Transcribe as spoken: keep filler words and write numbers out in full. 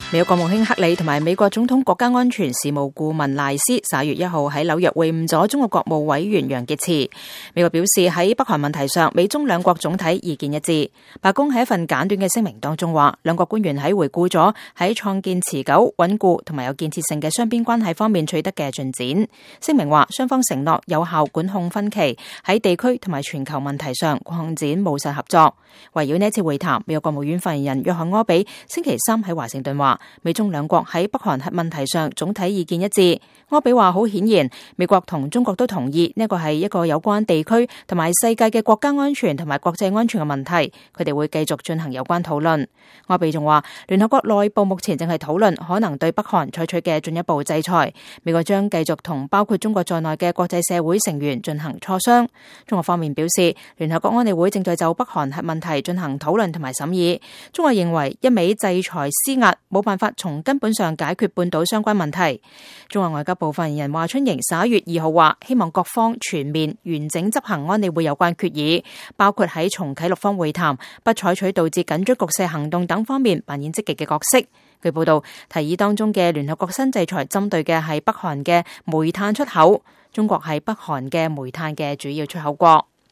美國國務卿克里同埋美國總統國家安全事務顧問賴斯十一月一號喺紐約會晤咗中國國務委員楊潔篪。美國表示喺北韓問題上，美中兩國總體意見一致。白宮喺一份簡短嘅聲明當中話，兩國官員喺回顧咗喺創建持久、穩固同埋有建設性嘅雙邊關係方面取得嘅進展。聲明話，雙方承諾有效管控分歧，喺地區同埋全球問題上擴展務實合作。圍繞呢次會談，美國國務院發言人約翰柯比星期三喺華盛頓話，美中兩國喺北韓核問題上總體意見一致。柯比話，好顯然，美國同中國都同意呢個係一個有關地區同埋世界嘅國家安全同埋國際安全嘅問題，佢哋會繼續進行有關討論。柯比仲話，聯合國內部目前正係討論可能對北韓採取嘅進一步制裁，美國將繼續同包括中國在內嘅國際社會成員進行磋商。中國方面表示，聯合國安理會正在就北韓核問題進行討論同埋審議。中國認為一味制裁施壓冇辦法從根本上解決半島相關問題。中國外交部發言人華春瑩十一月二號話，希望各方全面完整執行安理會有關決議，包括喺重啟六方會談、不採取導致緊張局勢行動等方面扮演積極嘅角色。據報道，提議當中嘅聯合國新制裁針對嘅係北韓嘅煤炭出口，中國係北韓嘅煤炭嘅主要出口國。